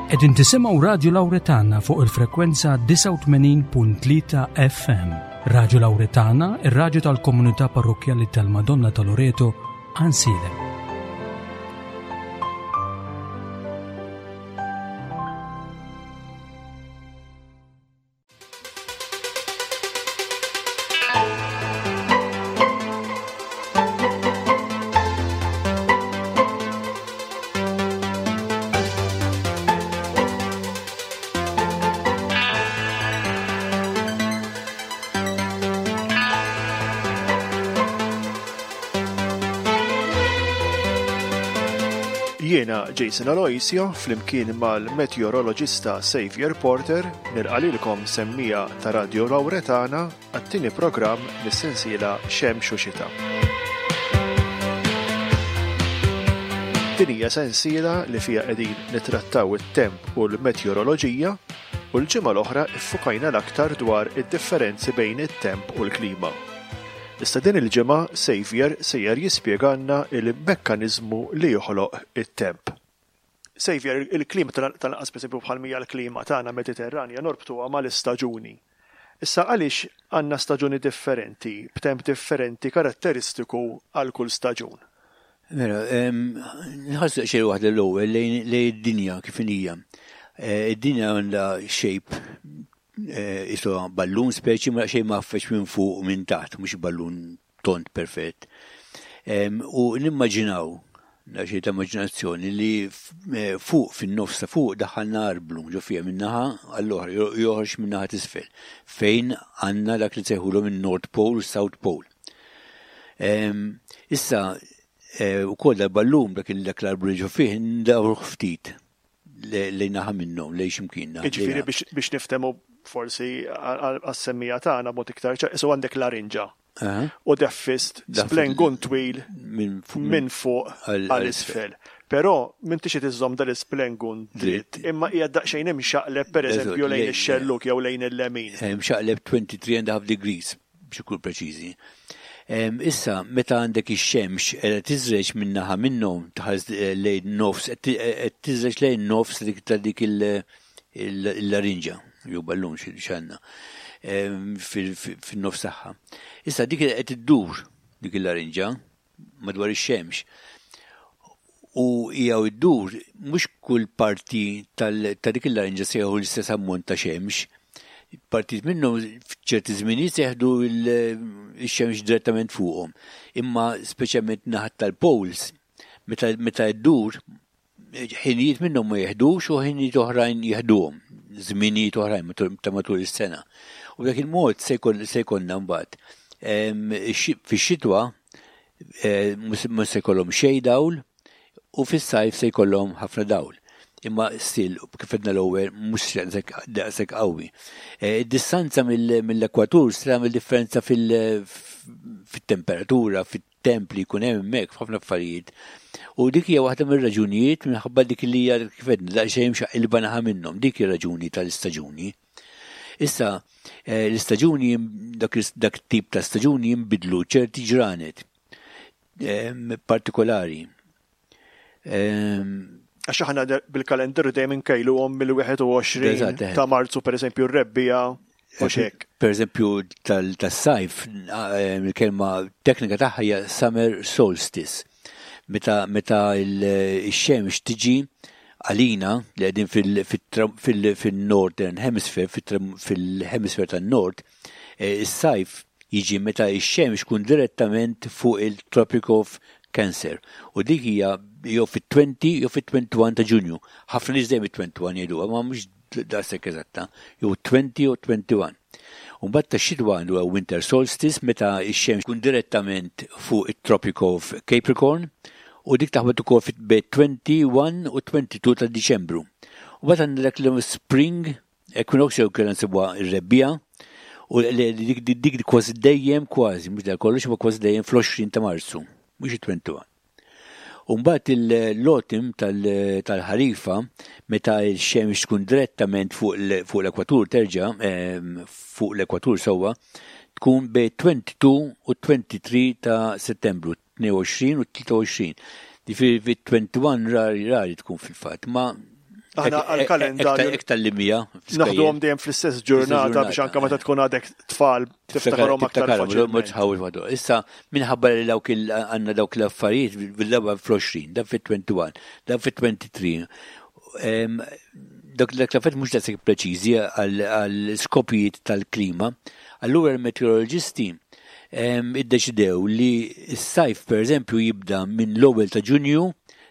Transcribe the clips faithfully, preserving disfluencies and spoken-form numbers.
Qegħdin tisimgħu Radio Lauretana fuq il-frekwenza disgħa u tmenin punt tlieta F M. Radio Lauretana, ir-radju tal-Komunità Parrokkjali tal-Madonna ta' Loreto, Għajnsielem. Jiena Jason Aloisio flimkien mal-meteorologista Xavier Porter nilqalilkom semmija ta' Radio Lauretana għat-tieni programm mis-sensiela Xemx u Xita. Din hija sensiela li fiha qegħdin nittrattaw it-temp u l-meteoroloġija u l-ġimgħa l-oħra iffukajna l-aktar dwar id-differenzi bejn it-temp u l-klima. Issa din il-ġimgħa Xavier sejjer jispjegalna il-mekkaniżmu li joħloq it-temp. Xavier, il-klima tal-anqas pereżempju bħal mija l-klima tagħna Mediterranja norbtuha mal-istaġuni. Issa għaliex għandna staġuni differenti, b'temp differenti karatteristiku għal kull staġun? Mela, em, nħarsu xejn waħda l-ewwel lejn, lejn id-dinja kif hija. Eh, id-dinja għandha shape, eh, isu ballun speċi ma xejn maffeċ minn fuq u minn taħt, mhux ballun tond perfett. Em, u nimmaġinaw, xejn ta' immaġinazzjoni, li f-, eh, fuq fin-nofs ta' fuq daħħalna arblu ġo fiha minn naħa għall-oħra, jo-, joħroġ minn naħa t'isfel, fejn għandna dak li sejħulhom in-North Pole u South Pole. Em, issa, eh, ukoll dal-ballun dak il-, dak l-arblu li ġo fih ndawruh ftit le-, lejn naħa minnhom, lejn x'imkien naħa. Jiġifieri biex, biex niftehmu forsi għas-semmija tagħna b'mod iktar ċar, isu għandek larinġa. Aha. U deffist Daffist splengun twil minn fu-, minn fuq għal- għal isfel. Però m'intix qed iżżomm dal-isplengun dritt, dritt, imma hija daqsxejn imxaqleb pereżempju Eżatt, lejn lejn- ix-xelluk jew lejn il-lemin. Eh, mxaqleb twenty-three and a half degrees biex ikun preċiżi. Em, issa, meta għandek ix-xemx qiegħda tiżreġ minn naħa minnhom tħares, eh, lejn nofs, qed ti-, eh, qed tiżreġ lejn nofs dik ta' dik il-, il-, il-larinġa, jew ballun xi x'għandna, em, fil-, fil-, fin-nofs tagħha. Issa dik qed iddur dik il-larinġa madwar ix-xemx. U hija iddur mhux kull parti tal-, ta' dik il-larinġa se jieħu l-istess ammont ta' xemx. Partit minnhom f'ċerti żminijiet se jieħdu il-, ix-xemx direttament fuqhom. Imma speċjalment naħat tal-poles, meta, meta ddur, ħinijiet minnhom ma jeħdux u ħinijiet oħrajn jeħduhom, żminijiet oħrajn matul, ta' matul is-sena. U b'dak il-mod se jkun, se jkollna mbagħad, em, ix-, fix-xitwa, eh, mhux, mhux se jkollhom xejn dawl u fis-sajf se jkollhom ħafna dawl. Imma still, kif għedna l-ewwel, mhux daqshekk, daqshekk qawwi. Eh, id-distanza mill-, mill-ekwatur se tagħmel differenza fil-, fit-temperatura, fit-temp li jkun hemm hemmhekk f'ħafna affarijiet. U dik hija waħda mir-raġunijiet minħabba dik li hija kif għedna daqsxejn mxaqilba naħa minnhom, dik hija raġuni tal-istaġuni. Issa, eh, l-istaġuni jim-, dak is-, dak tip ta' staġuni jinbidlu ċerti ġranet, ehm, partikolari. Ehm, Għax aħna de-, bil-kalendarju dejjem inkejluhom mill-wieħed u għoxrin Eżatt, eħe. ta' Marzu, pereżempju, r-rebbiegħa u x'hekk. Per eżempju, tal-, tas-sajf, eh, il-kelma teknika tagħha hija summer solstice. Meta, meta il-, ix-xemx tiġi għalina li qegħdin fil-, fil-, fil-, fil-northern hemisphere, fil-, fil-hemisphere tan-nord, eh, is-sajf jiġi meta x-xemx tkun direttament fuq il-Tropic of Cancer. U dik hija jew fit-twenty jew fit-twenty-one ta' Ġunju. Ħafna nies dejjem it-twenty-one jgħiduha, ma mhux daqshekk eżatta, jew twenty jew twenty-one. U mbagħad tax-xitwa għandu winter solstice meta x-xemx tkun direttament fuq it-Tropic of Capricorn u dik taħbet ukoll fit bejn twenty-one u twenty-two ta' Diċembru. U mbagħad għandna dak li spring equinox jew kellna nsibuha r-rebbiegħa u li dik, dik, dik kważi dejjem kważi, mhux dak kollox, imma kważi dejjem fl-għoxrin ta' Marzu, mhux it-twenty-one. U mbagħad il-autumn tal-, tal-ħarifa, meta x-xemx tkun direttament fuq l-, fuq l-ekwatur terġa', ehm, fuq l-ekwatur sewwa, tkun bejn twenty-two u twenty-three ta' Settembru, tnejn u għoxrin u tlieta u għoxrin. Ġifieri fi twenty-one rari, rari tkun fil-fatt, ma Aħna għal-kalendarju. Iktar li mija. Naħduhom dejjem fl-istess ġurnata biex anke meta tkun għadek tfal tiftakarhom aktar faċilment. Issa minħabba li dawk għandna dawk l-affarijiet bil-darba fl-għoxrin, dan fit-wieħed u għoxrin, dan fit-tlieta u għoxrin. Dak l-affarijiet mhux daqshekk preċiżi għal skopijiet tal-klima. Allura l-meteoroloġisti iddeċidew li s-sajf, per eżempju, jibda minn l-ewwel ta' Ġunju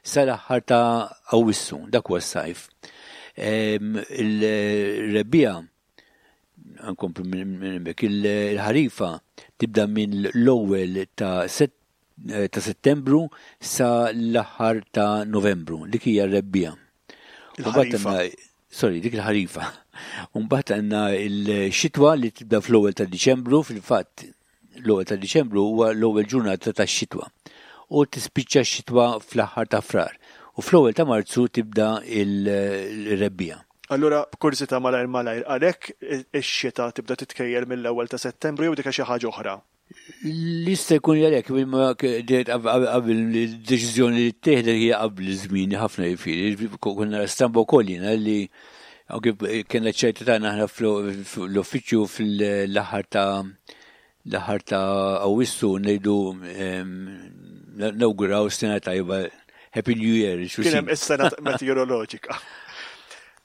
sal-aħħar ta' Awwissu, dak huwa s-sajf. Il-rebbiegħa, nkomplu minn il-ħarifa tibda minn l-ewwel ta' ta' Settembru sa l-aħħar ta' Novembru, dik hija r-rebbiegħa. Sorry, dik il-ħarifa. Mbagħad għandna il-xitwa li tibda fl-ewwel ta' Diċembru, fil-fatt l-ewwel ta' Diċembru huwa l-ewwel ġurnata tax-xitwa. U tispiċċa x-xitwa fl-aħħar ta' Frar. U fl-ewwel ta' Marzu tibda il-rebbiegħa. Allura, b'kurżità, malajr malajr, għalhekk ix-xita tibda titkejjel mill-ewwel ta' Settembru jew dik xi ħaġa oħra? Li jista' jkun għalhekk, qabel deċiżjoni li ttieħdet hija qabel żmien ħafna, jiġifieri, konna stramba wkoll jiena li kena ċerta tagħna aħna fl-uffiċċju fl-aħħar ta' l-aħħar ta' Awwissu ngħidu nawguraw sena tajba, Happy New Year. Kien hemm is-sena meteoroloġika.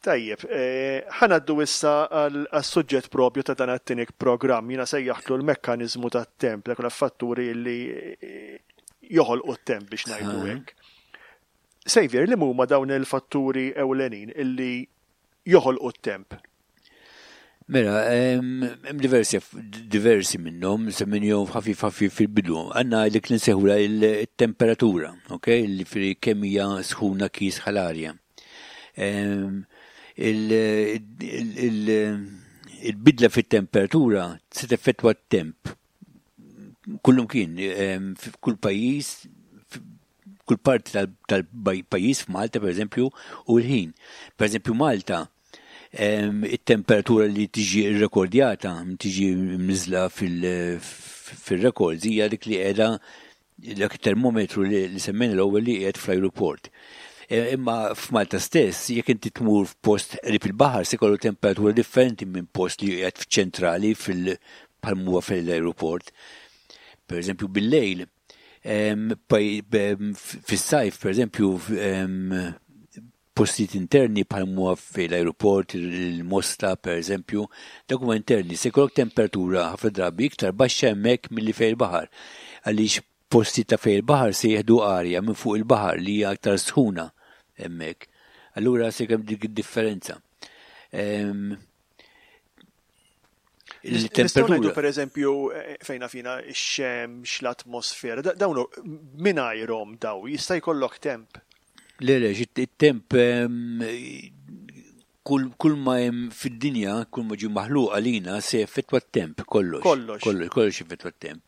Tajjeb, eh, ħa ngħaddu issa għal-suġġett propju ta' dan għat-tieni programm. Jiena sejjaħtlu l-mekkanizmu tat-temp, dak fatturi li eh, joħolqu t-temp, biex ngħidu hekk. Xavier, li huma dawn il-fatturi ewlenin illi joħolqu t-temp? Mela, hemm diversi diversi minnhom, semmejnihom ħafif ħafif fil-bidu. Għandna dik li nsejħula il-temperatura, ok? Li fi kemm hija sħuna, kiesħa l-arja. Il-bidla fit-temperatura se teffettwa t-temp. Kullum kien, kull pajjiż, kull parti tal-pajjiż, f'Malta per eżempju, u l-ħin. Per eżempju, Malta, it-temperatura li tiġi rekordjata, tiġi mniżla fil-records, hija dik li qiegħda dak termometru li semmejna l-ewwel li qiegħed fl-ajruport. E, imma f'Malta stess, jekk inti tmur f'post qrib il-baħar, se jkollu temperatura differenti minn post li qiegħed f'ċentrali fil bħal fil-aeroport. Per eżempju, bil-lejl, fis-sajf, per eżempju, postijiet interni bħal huwa fil-aeroport, il-Mosta, per eżempju, dak huma interni, se jkollok temperatura ħafna drabi iktar baxxa hemmhekk milli fejn il-baħar. Għaliex posti ta' fejn il-baħar se jieħdu arja minn fuq il-baħar li hija aktar sħuna hemmhekk. Allura se hemm dik id-differenza. Il-temperatura. Per eżempju, eh, fejna fina ix-xemx, l-atmosfera, dawn mingħajrhom daw, jista' jkollok temp? Le, le, it-temp, kull, kull ma hemm fid-dinja, kull ma ġi maħluq għalina se effettwa t-temp, kollox. Kollox. Kollox, kollox effettwa t-temp.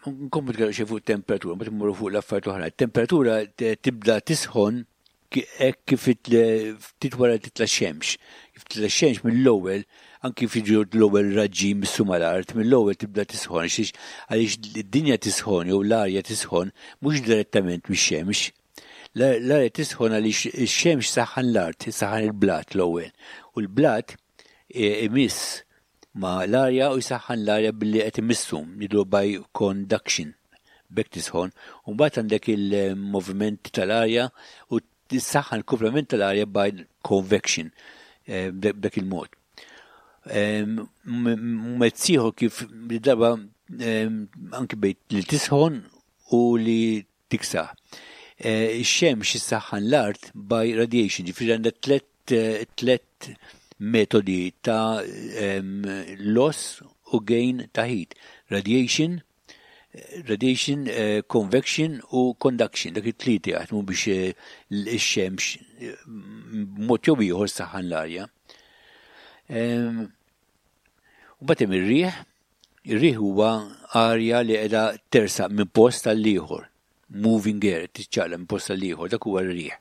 Nkomplu nitkellmu xi fuq temperatura, ma timmuru fuq l-affarijiet oħra. Temperatura tibda tisħon hekk kif ftit wara titla' xemx. Kif titla' xemx mill-ewwel, anki kif l-ewwel raġġi jmissu mal-art, mill-ewwel tibda tisħon, għaliex id-dinja tisħon jew l-arja tisħon mhux direttament mix-xemx. L-arja tisħon għaliex ix-xemx saħħan l-art, saħħan il-blat l-ewwel. U l-blat imiss ma l-arja u jsaħħan l-arja billi qed imissu, ngħidu by conduction. B'hekk tisħon. U mbagħad għandek il-moviment tal-arja u tissaħħan il-komplement tal-arja by convection, eh, b'dak il-mod. Mezz ieħor kif li darba anki bejt li tisħon u li tiksaħ. Eh, ix-xemx issaħħan l-art by radiation, ġifieri għandha tlet tlet metodi ta' loss u gain ta' heat. Radiation, radiation, uh, convection u conduction, dak it-tlieta jaħdmu biex eh, l-xemx mod jew ieħor saħħan l-arja. U mbagħad hemm ir-riħ, ir-riħ huwa arja li qiegħda tersaq minn post għal ieħor, moving air, tiċċaqlaq minn post għal ieħor, dak huwa r-riħ.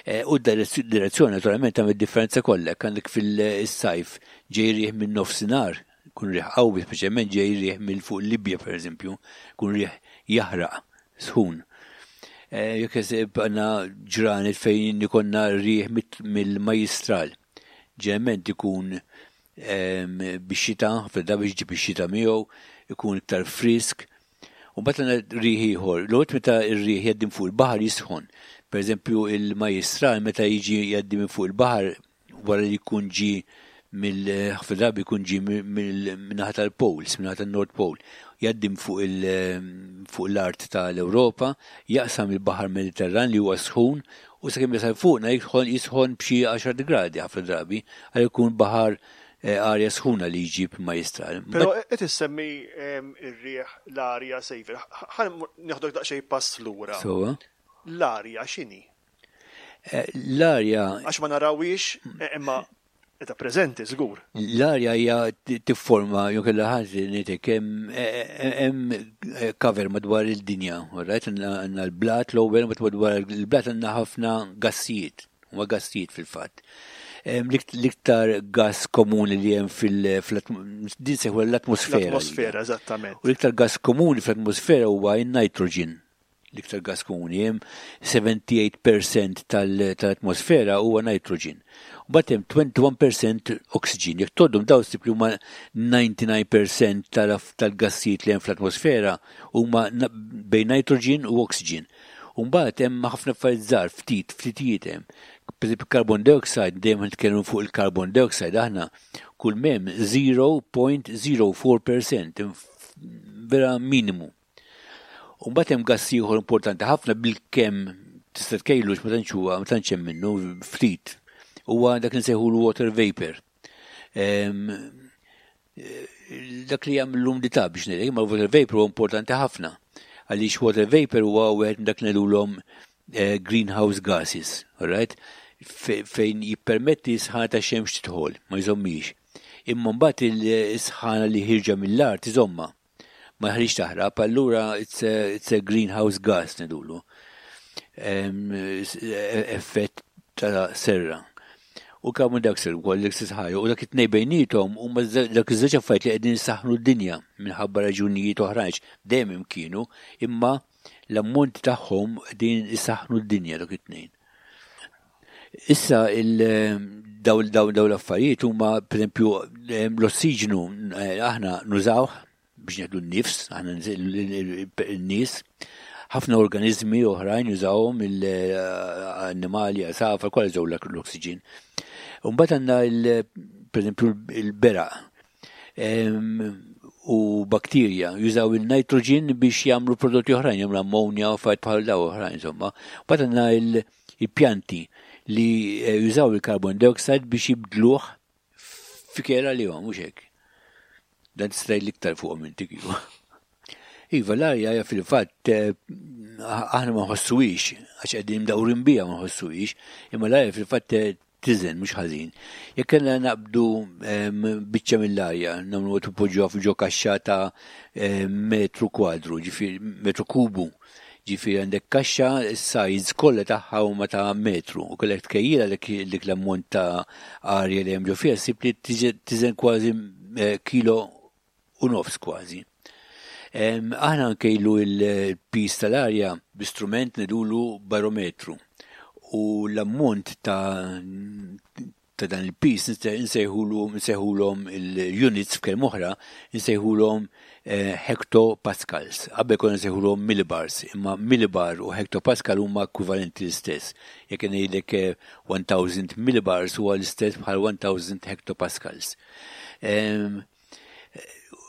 Eh, u d-direzzjoni naturalment tagħmel differenza kollha, għandek fil-sajf ġej riħ minn nofsinhar, kun riħ qawwi, speċjalment ġej riħ mill fuq Libja, per eżempju, kun riħ jaħraq sħun. Jekk għandna ġranet fejn ikollna riħ mill-majjistral. Ġeneralment ikun bix-xita, ħafna drabi jiġi bix-xita miegħu, ikun iktar frisk. U mbagħad għandna riħ ieħor. L-ewwel meta r-riħ jgħaddi fuq il-baħar jisħon. Per eżempju, il-majjistral meta jiġi jgħaddi minn fuq il-baħar wara li jkun ġi mill-ħafna drabi jkun ġi min-naħa tal-Poles, min-naħa tan-North Pole, jgħaddi fuq l-art tal-Ewropa, jaqsam il-Baħar Mediterran li huwa sħun u sakemm jasal fuqna jisħon b'xi għaxar gradi ħafna drabi, għal ikun baħar arja sħuna li jġib majjistral. Però qed issemmi ir-riħ, l-arja, Saviour. Ħa nieħdok daqsxejn pass lura. L-arja x'inhi? L-arja. Għax ma narawhiex, imma qiegħda preżenti żgur. L-arja hija tifforma jew kellha ħaġa ngħidlek hemm cover madwar il-dinja, right? Għandna l-blat l-ewwel, madwar il-blat għandna ħafna gassijiet, huma gassijiet fil-fatt. L-iktar gas komuni li hemm fil- din seħu l-atmosfera. L-atmosfera, eżattament. U l-iktar gas komuni fl-atmosfera huwa n-nitrogen. L-iktar gas komuni hemm sebgħa u sebgħin fil-mija tal-atmosfera huwa nitrogen. U mbagħad hemm wieħed u għoxrin fil-mija oxygen. Jekk tgħoddhom daw ssib li huma disgħa u disgħin fil-mija tal-gassijiet li hemm fl-atmosfera huma bejn nitrogen u oxygen. U mbagħad hemm ħafna affarijiet żgħar, ftit, ftitijiet hemm. Per carbon dioxide, dejjem nitkellmu fuq il-carbon dioxide aħna, kull m'hemm żero punt żero erba' fil-mija, vera minimu. U mbagħad hemm gass ieħor importanti ħafna, bil-kemm tista' tkejlu, ma tantx huwa, ma tantx hemm minnu, ftit. Huwa dak li nsejħu l-water vapor. Dak li jagħmel l-umdità biex ngħidlek, ma water vapor huwa importanti ħafna. Għaliex water vapor huwa wieħed dak li ngħidulhom greenhouse gases, all right? Fejn jippermetti sħana ta' xemx tidħol, ma jżommix. Imma mbagħad il-sħana li ħierġa mill-art iżomma. Ma ħriġ taħrab, allura it's a, it's a greenhouse gas ngħidulu. Effett ta' serra. U carbon dioxide ukoll l-istess ħaġa, u dak it-tnejn bejniethom huma dak iż-żewġ affarijiet li qegħdin isaħħnu d-dinja minħabba raġunijiet oħrajn, dejjem kienu, imma l-ammont tagħhom qegħdin isaħħnu d-dinja dak it-tnejn. Issa daw daw daw l-affarijiet huma, pereżempju, l-ossiġnu aħna nużawh biex nieħdu n-nifs, aħna n-nies, ħafna organizmi oħrajn jużawhom, l-annimali, għasafar, kollha jużaw l-oksiġen. Mbagħad għandna, pereżempju, il-beraq u bakterja jużaw il-nitrogen biex jagħmlu prodotti oħrajn, jagħmlu ammonja u affarijiet bħal daw oħrajn, insomma. Mbagħad għandna il-pjanti li jużaw il-carbon dioxide biex jibdluh f'ikel għalihom, mhux hekk? Dan tista' l-iktar fuqhom inti kieku. Iva, l-arja hija fil-fatt aħna ma nħossuhiex, għax qegħdin mdawrin biha ma nħossuhiex, imma l-arja fil-fatt tiżen mhux ħażin. Jekk kellna naqbdu biċċa mill-arja, nagħmlu tpoġġuha f'ġo kaxxa ta' metru kwadru, ġifieri metru kubu. Ġifieri għandek kaxxa, s-size kollha tagħha huma ta' metru, u kellek tkejjilha dik l-ammont ta' arja li hemm ġo fiha, ssib li tiżen kważi kilo u nofs kważi. Aħna nkejlu il-pis tal-arja b'istrument ngħidulu barometru. U l-ammont ta' ta' dan il-pis nsejħulhom il-units, f'kelma oħra, nsejħulhom hectopascals. Qabel konna nsejħulhom millibars, imma millibar u hectopascal huma ekwivalenti l-istess. Jekk ngħidlek elf millibars huwa l-istess bħal elf hectopascals.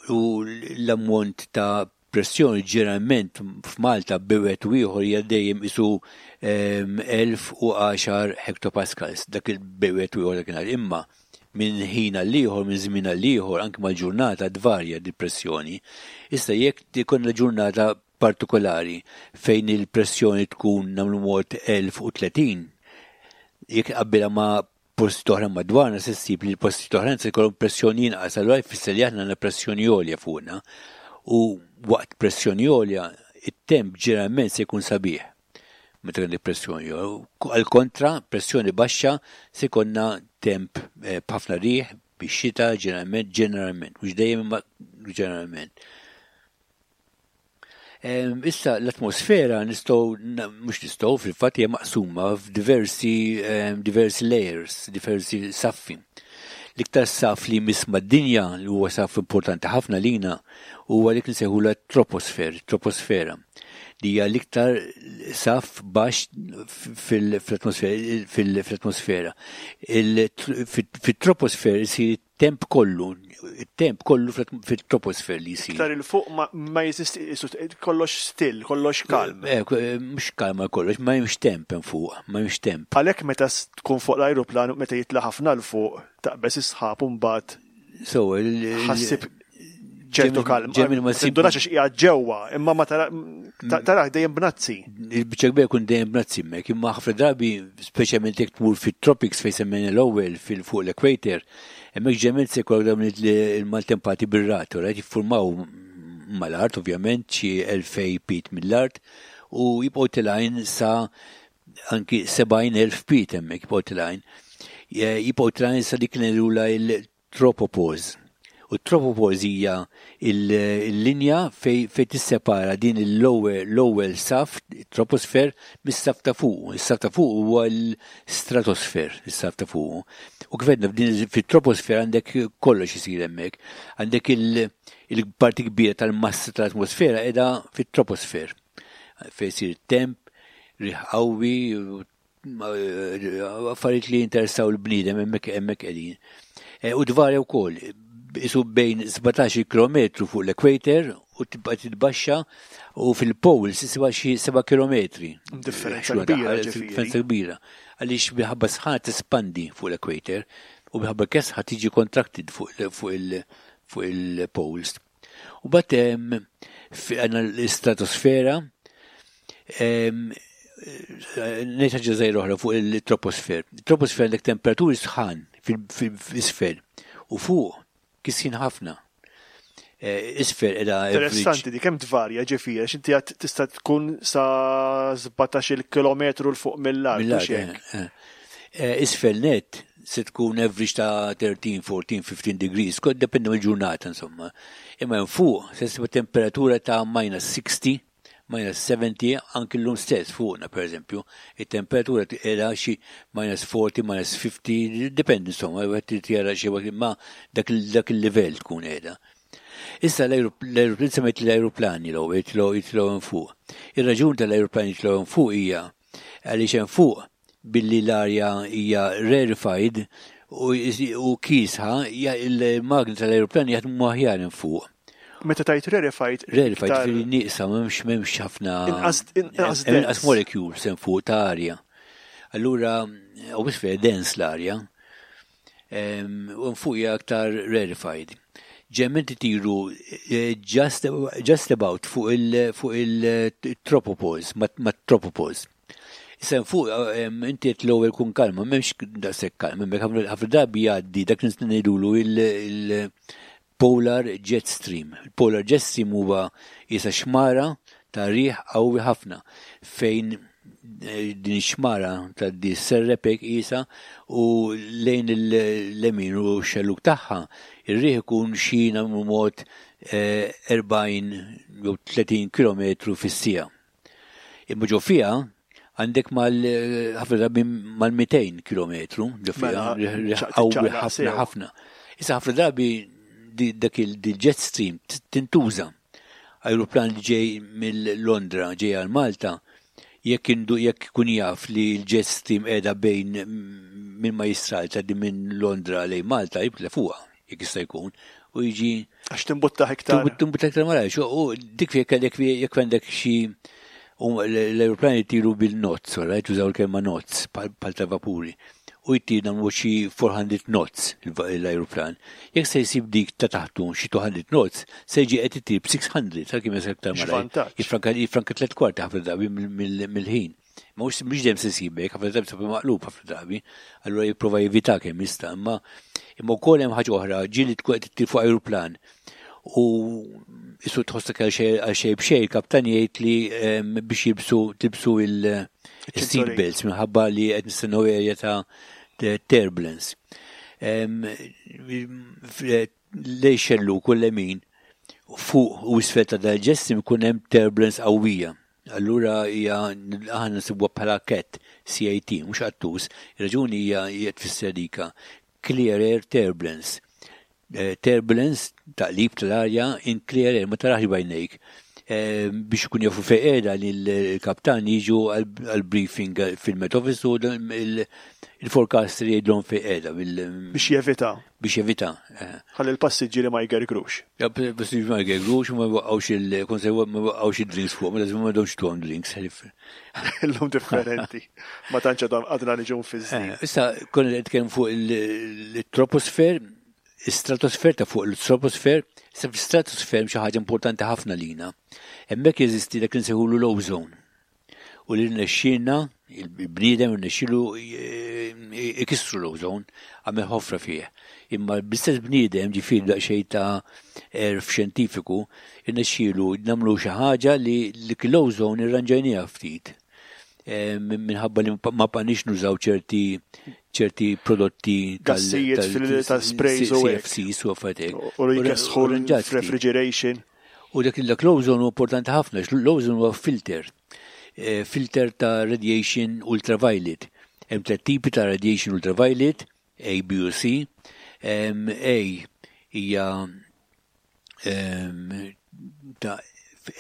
U l-ammont ta' pressjoni ġeneralment f'Malta bejn u ieħor hija dejjem isu elf u għaxar hectopascals, dak il-bejn u ieħor dakinhar. Imma minn ħin għal ieħor, minn żmien għal ieħor, anke mal-ġurnata tvarja di pressjoni. Issa jekk ikollna ġurnata partikolari fejn il-pressjoni tkun, nagħmlu mod, elf u tletin, jekk qabbilha ma' posti oħra madwarna se ssib li l-posti oħra se jkollhom pressjoni inqas, allura jfisser li aħna għandna pressjoni għolja fuqna. U waqt pressjoni għolja, it-temp ġeneralment se jkun sabiħ. Meta għandek pressjoni għolja. Għal kontra, pressjoni baxxa se jkollna temp b'ħafna riħ, bix-xita ġeneralment, ġeneralment, mhux dejjem imma ġeneralment. Issa l-atmosfera nistgħu, mhux nistgħu, fil-fatt hija maqsuma f'diversi diversi layers, diversi saffi. L-iktar saf li jmiss mad-dinja, li huwa saf importanti ħafna lina, huwa dik li nsejħula troposfer, troposfera, li hija l-iktar saf baxx fil-atmosfera. Fit-troposfer isir temp kollu, temp kollu fit-troposfer li jisir. Iktar 'il fuq ma jeżisti, kollox still, kollox kalm. Eh, mhux kalma kollox, ma hemmx temp hemm fuq, ma hemmx temp. Għalhekk meta tkun fuq l-ajruplan, meta jitla' ħafna 'l fuq, taqbeż is-sħab u mbagħad So, ħassib ċertu kalm. Tindunax għax qiegħed ġewwa, imma ma taraħ dejjem bnazzi. Il-biċċa kbira kun dejjem bnazzi hemmhekk, imma ħafna drabi, speċjalment jekk tmur fit-tropics fejn semmejna l-ewwel fil-fuq l-equator, hemmhekk ġeneralment se jkollok dawn il-maltempati bir-ragħad, right, jiffurmaw mal-art ovvjament xi elfejn feet mill-art u jibqgħu telgħin sa anki sebgħin elf feet, hemmhekk jibqgħu telgħin. Jibqgħu telgħin sa dik ngħidulha il-tropopause. U t-tropopause hija il-linja fej fej tissepara din l-ewwel saf, troposfer, mis-saf ta' fuq. Is-saf ta' fuq huwa l-stratosfer, is-saf ta' fuq. U kif għedna, fit-troposfer għandek kollox isir hemmhekk. Għandek il-parti kbira tal-massa tal-atmosfera qiegħda fit-troposfer. Fejn isir temp, riħ qawwi, affarijiet li jinteressaw il-bniedem hemmhekk hemmhekk qegħdin. E, u tvarja wkoll isu bejn sbatax-il kilometru fuq l-equator u tibqa' titbaxxa u fil-poles issibha xi seba' kilometri. Differenza kbira, ġifieri. Differenza kbira. Għaliex minħabba sħana tespandi fuq l-equator u minħabba kesħa tiġi contracted fuq il- fuq il-poles. U bat għandna l-stratosfera, ngħid ħaġa żgħira oħra fuq il-troposfer. Il-troposfer għandek temperaturi sħan fil-isfel u fuq kisħin ħafna. Isfel qiegħda. Interessanti di kemm tvarja, ġifieri, għax inti għad tista' tkun sa sbatax-il kilometru 'l fuq mill-art. Mill-art. Eh, eh. Isfel net se tkun average ta' tlettax, erbatax, ħmistax degrees, kod dependu mill-ġurnata insomma. Imma fuq se ssib temperatura ta' minus sittax, minus sebgħin, anki l-lum stess fuqna per eżempju, il-temperatura qiegħda xi minus erbgħin, minus ħamsin, dependi insomma, għet tjara xi ma dak il-livell tkun qiegħda. Issa l-aeroplan, semmejt l-aeroplani l jitilgħu jitilgħu fuq. Ir-raġun tal-aeroplani jitilgħu fuq hija għaliex hemm fuq, billi l-arja hija rarefied u kiesħa, il-magni tal-aeroplani jaħdmu aħjar fuq. Meta tajt rarefied? Rarefied fil nieqsa, m'hemmx m'hemmx ħafna. Inqas. Inqas molecules hemm fuq ta' arja. Allura, u bisfer dens l-arja, u fuq hija aktar rarefied. Ġeneralment itiru eh, just, just about fuq il- fuq il-tropopause, ma' tropopause. Issa fuq inti qed l-ewwel kun kalma, m'hemmx daqshekk kalma, hemmhekk ħafna drabi jgħaddi dak li ngħidulu il-polar jet stream. Il-polar jet stream huwa isa xmara ta' riħ qawwi ħafna fejn eh, din xmara ta' di serrepek isa u lejn il-lemin u xelluk tagħha ir-riħ ikun xi mod erbgħin jew tletin kilometru fis-siegħa. Imma ġo fiha għandek mal ħafna drabi mal-mitejn kilometru ġo fiha Mela, riħ ċaq- qawwi tiċċaqlaq ħafna sew. ħafna. Issa ħafna drabi di- dak il-jet stream tintuża. Aeroplan li ġej mill-Londra ġej għal Malta, jekk indu jekk ikun jaf li l-jet stream qiegħda bejn minn Majjistral ta' minn Londra lejn Malta, jibla fuqha jekk jista' jkun u jiġi Għax timbutta iktar. Timbutta iktar malajr. U dik jekk jekk jekk għandek xi u l-aeroplani jtiru bil-knots, right? Użaw il-kelma knots, bħal ta' vapuri. U jtir nagħmlu xi erba' mija knots l-aeroplan. Jekk se jsib dik ta' taħtu xi mitejn knots, se jiġi qed itir b'sitt mija, sa kemm jasal iktar malajr. X'vantaġġ. Jifranka jifranka tliet kwarti ħafna drabi mill-ħin. Ma mhux mhux dejjem se jsibek, ħafna drabi sabi maqlub ħafna drabi. Allura jipprova jevita kemm jista', imma imma wkoll hemm ħaġa oħra, ġieli tkun qed ittir fuq aeroplan u isu tħossok għal xejn għal xejn b'xejn, il-kaptan jgħid li em, biex jilbsu tilbsu il-seat belts minħabba li qed nistennew area ta' ta' turbulence. Em, Lejn xellug u lemin Fuq u isfel ta' dal-jet stream ikun hemm turbulence qawwija. Allura hija aħna nsibuha bħala cat, C A T, mhux qattus. Ir-raġuni hija hija tfisser dika clear air turbulence. Eh, turbulence, taqlib tal-arja in clear air, ma tarax b'għajnejk. Eh, biex ikun jafu fejn qiegħda li l-kaptan jiġu għal-briefing fil-Met Office u il-forecaster jgħidlhom fejn qiegħda. Biex jevita. Biex jevita. Eh. Ħalli l-passiġġieri ma jgergrux. Ja, passiġġieri ma jgergrux u ma jwaqqgħux il ma jwaqqgħux il-drinks fuq, ma lazim ma domx tuhom drinks. Illum differenti. Ma tantx għadna niġu fi eh, Issa, konna qed nitkellmu fuq il-troposfer, stratosfer ta' fuq il-troposfer, sa fil-stratosfer xi ħaġa importanti ħafna lina. Hemmhekk jeżisti dak li nsejħulu l-ozone. U li rnexxielna, il-bniedem rnexxielu ikissru l-ozone, għamel ħofra fih. Imma bl-istess bniedem, ġifieri daqsxejn ta' għerf xjentifiku, irnexxielu nagħmlu xi ħaġa li l-ozone irranġajniha ftit. Eh, minħabba li ma bqajniex nużaw ċerti ċerti prodotti. Gassijiet tal-sprays u C F Cs u affarijiet. U li jkessħu refrigeration. U dak l-ozone huwa importanti ħafna, l-ozone huwa filter. Eh, filter ta' radiation ultraviolet. Hemm tliet tipi ta' radiation ultraviolet, A, B u C. A hija ta'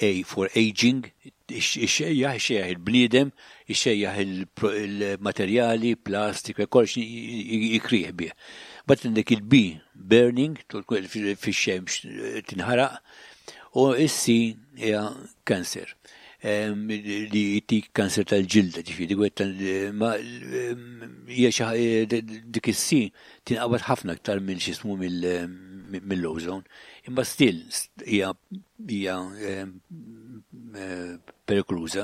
A for aging, ixxejjaħ, ixxejjaħ il-bniedem, ixxejjaħ il-materjali, plastik, kollox jikrieħ bih. But għandek il-B, burning, fix-xemx tinħaraq, u is-C hija cancer, li jtik kanser tal-ġilda, ġifieri, hija dik is-C tinqabad ħafna aktar minn x'ismu mill-ozone. Imma still hija hija perikoluża.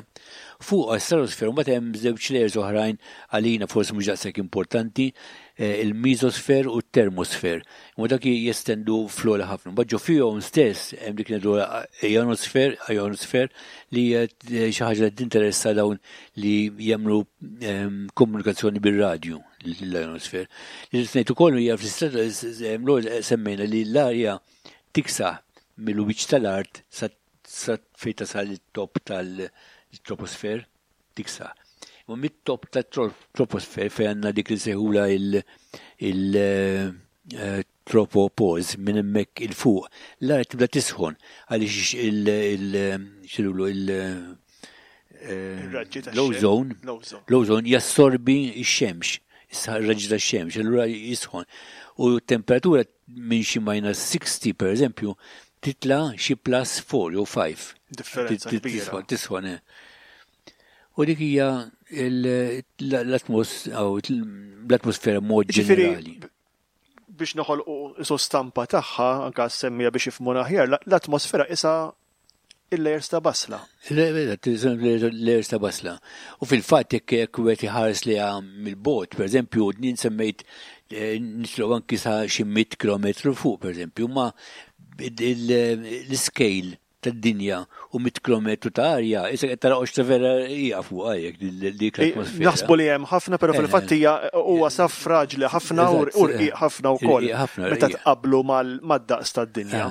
Fuq stratosfera mbagħad hemm żewġ layers oħrajn, għalina forsi mhux daqshekk importanti, eh, il-mesosfer u t-termosfer. Imma dak jestendu fl-ogħla ħafna. Mbagħad ġo fihom stess hemm dik ngħidu ionosfer, ionosfer li hija xi ħaġa li tinteressa dawn li jagħmlu ehm, komunikazzjoni bir-radju, l-ionosfer. Li ngħid ukoll hija fl semmejna li l-arja tiksaħ mill-wiċċ tal-art sa sa fejn tasal it-top tal-troposfer tiksaħ. U mit-top tal-troposfer fejn għandna dik li sejħula il-tropopause, minn hemmhekk 'il fuq, l-art tibda tisħon għaliex il- il- l-ozone l-ozone jassorbi x-xemx, ir-raġġi tax-xemx, allura jisħon. U temperatura minn xi minus sixty per eżempju titla xi plus four jew five. Differenza kbira. Tisħon. Eh. U dik hija l-atmosfera mod ġenerali. Biex noħolqu stampa tagħha, anka semmija biex jifhmuna aħjar, l-atmosfera isa il-layers ta' basla. Layers ta' basla. U fil-fatt jekk jekk wieħed iħares li mill-bogħod, per eżempju, jien semmejt eh, nitlu anki sa xi mitt kilometru fuq, per eżempju, ma l-scale tad-dinja u mitt kilometru ta' arja, issa qed tara qoxra vera hija fuq għajek dik l-atmosfera. Naħsbu li hemm ħafna, però fil-fatt hija huwa saf fraġli ħafna u rqiq ħafna wkoll meta tqablu mad-daqs tad-dinja.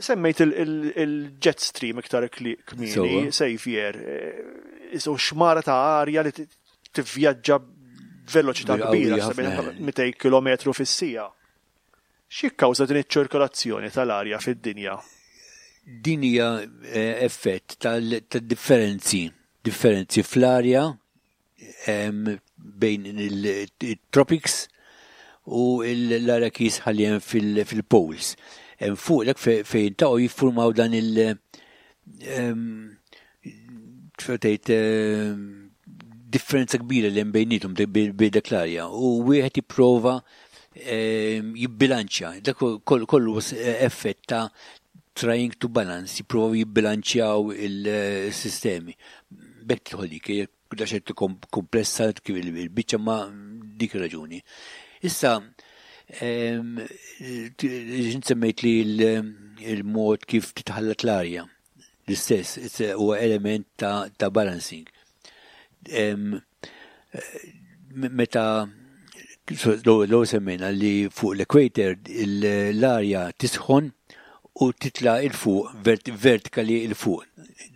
Semmejt il-jet stream iktar kmieni, Xavier, isu xmara ta' arja li tivvjaġġa veloċità kbira, mitejn kilometru fis-siegħa. X'jikkawża din iċ-ċirkolazzjoni tal-arja fid-dinja? Din hija eh, effett tal-differenzi, differenzi fl-arja bejn il-tropics u l-arja kiesħa li hemm fil-poles. Fuq dak fejn ta' jiffurmaw dan il- tgħid differenza kbira li hemm bejnietom, bejn dak l-arja, u wieħed jipprova jibbilanċja. Dak kollu effett ta' trying to balance, jipprovaw jibbilanċjaw il-sistemi. B'hekk tidħol dik, daxet komplessa kif il-biċċa, ma dik raġuni. Issa, semmejt li il-mod kif titħallat l-arja. L-istess, huwa element ta', ta balancing. Meta l semmejna li fuq l-equator l-arja tisħon. U titla 'il fuq, vertikali 'il fuq,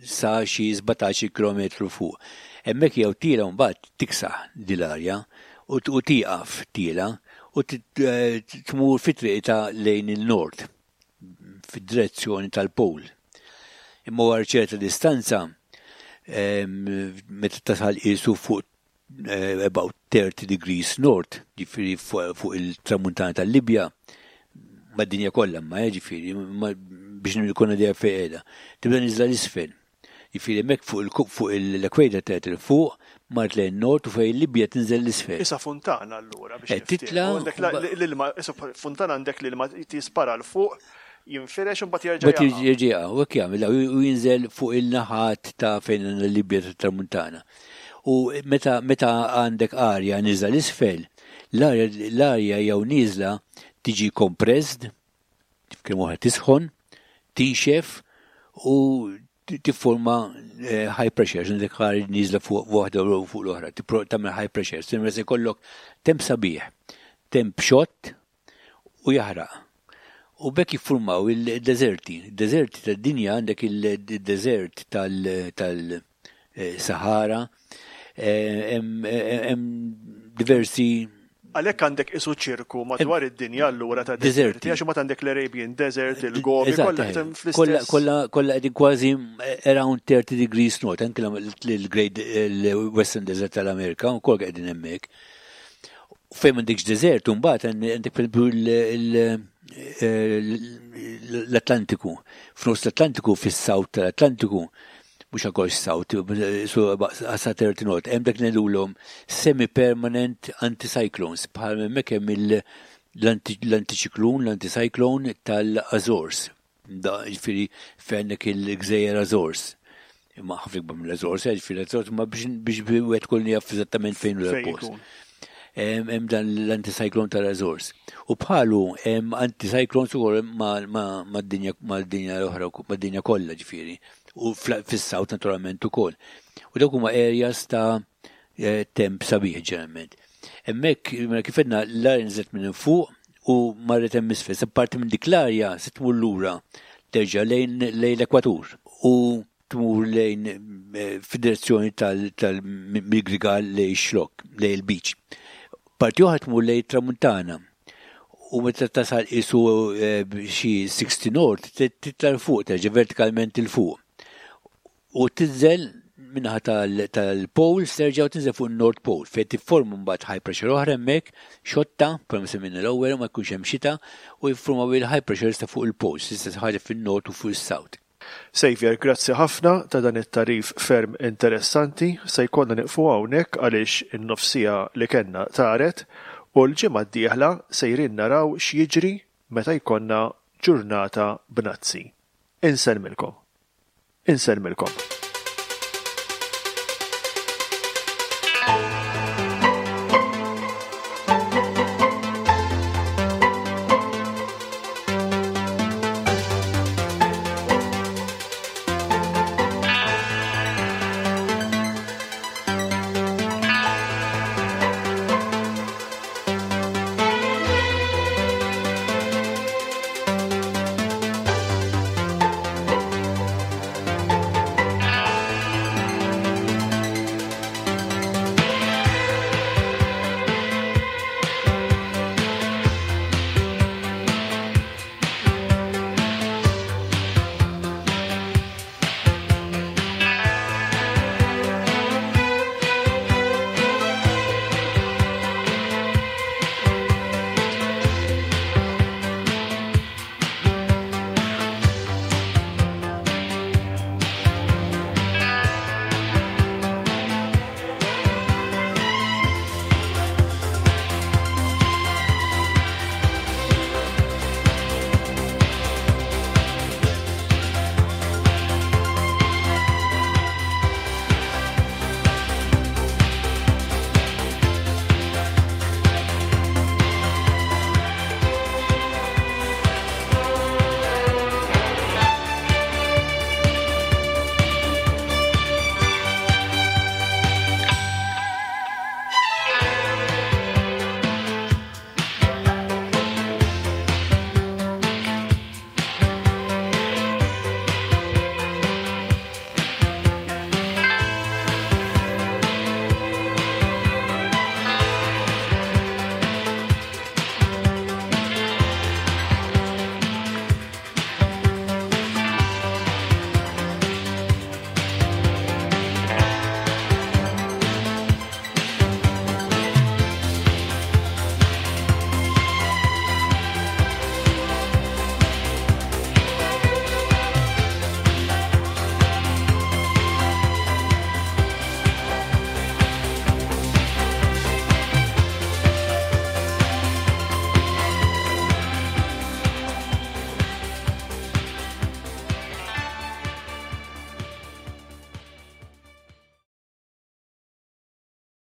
sa xi sbatax-il kilometru fuq. Hemmhekk jew tiela mbagħad tiksaħ dil-arja u tieqaf tiela u tmur fi triqta lejn il-nord, fid-direzzjoni tal-pol. Imma wara ċerta distanza, meta tasal qisu fuq eh, about thirty degrees north, ġifieri fuq il-tramuntana tal-Libja, mad-dinja kollha ma ġifieri, biex nkun idea fejn qiegħda. Tibda niżla 'l isfel. Ġifieri hemmhekk fuq l-equator tgħid fuq mart lejn nord u fejn Libja tinżel 'l isfel. Isa funtana allura biex eh, titla. L-ilma, isa funtana għandek l-ilma tispara 'l fuq, jinfirex u mbagħad jerġa' jerġa', u hekk jagħmel u jinżel fuq il-naħat ta' fejn l-Libja tat-Tramuntana. U meta meta għandek arja niżla 'l isfel, l-arja jew niżla tiġi compressed, kemm oħra tisħon, tinxef u tifforma eh, high pressure, għandek arja niżla fuq waħda u fuq l-oħra, tagħmel high pressure, se jkollok temp sabiħ, temp xott u jaħraq. U b'hekk jiffurmaw il-deserti. Il-deserti tad-dinja, għandek il-desert tal-Sahara, eh, hemm diversi. Għalhekk għandek isu ċirku madwar id-dinja allura ta' deserti. Għax ma għandek l-Arabian Desert, il-Gobi, kollha fl-istess. Kollha kollha qegħdin kważi around thirty degrees north, anke l-Great Western Desert tal-Amerika, u kollha qegħdin hemmhekk. Fejn m'għandekx desert, mbagħad għandek l-Atlantiku. F'nofs l-Atlantiku, fis-South tal-Atlantiku, mhux għakox south, so għasa thirty north, hemm dak ngħidulhom semi-permanent anticyclones, bħal hemmhekk hemm l-antiċiklun, l-anticyclone tal-Azores. Da, ġifieri fejn il-gżejjer Azores. Imma ħafna ikbar mill-Azores, eh, ġifieri l-Azores, ma biex biex wieħed kollu jaf eżattament fejn hu l-post. Hemm dan l-anticyclone tal-Azores. U bħalu hemm anticyclones ukoll mad-dinja mad-dinja l-oħra, mad-dinja kollha ġifieri. U fis-South naturalment ukoll. U dawk huma areas ta' eh, temp sabiħ ġeneralment. Hemmhekk, mela kif għedna, l-arja nżlet minn fuq u marret hemm isfel. Se parti minn dik l-arja se tmur lura terġa' lejn lejn l-ekwatur u tmur lejn eh, fid-direzzjoni tal-Grigal lejn Xlok, lejn il-beach. Parti oħra tmur lejn tramuntana. U meta tasal isu eh, xi sixty north, titla fuq, terġa' vertikalment 'il fuq. U tinżel min-naħa tal-poles, terġa' u tinżel fuq il-North Pole, fejn tifforma mbagħad high pressure oħra hemmhekk, xotta, bħalma semmejna l-ewwel, ma jkunx hemm xita, u jiffurmaw il-high pressures ta' fuq il-poles, istess ħaġa fin-north u fuq is-south. Xavier, grazzi ħafna ta' dan it-tarif ferm interessanti. Se jkollna nieqfu hawnhekk għaliex in-nofs siegħa li kellna taret u l-ġimgħa d-dieħla sejrin naraw x'jiġri meta jkollna ġurnata bnazzi. Insellmilkom. Insellmilkom.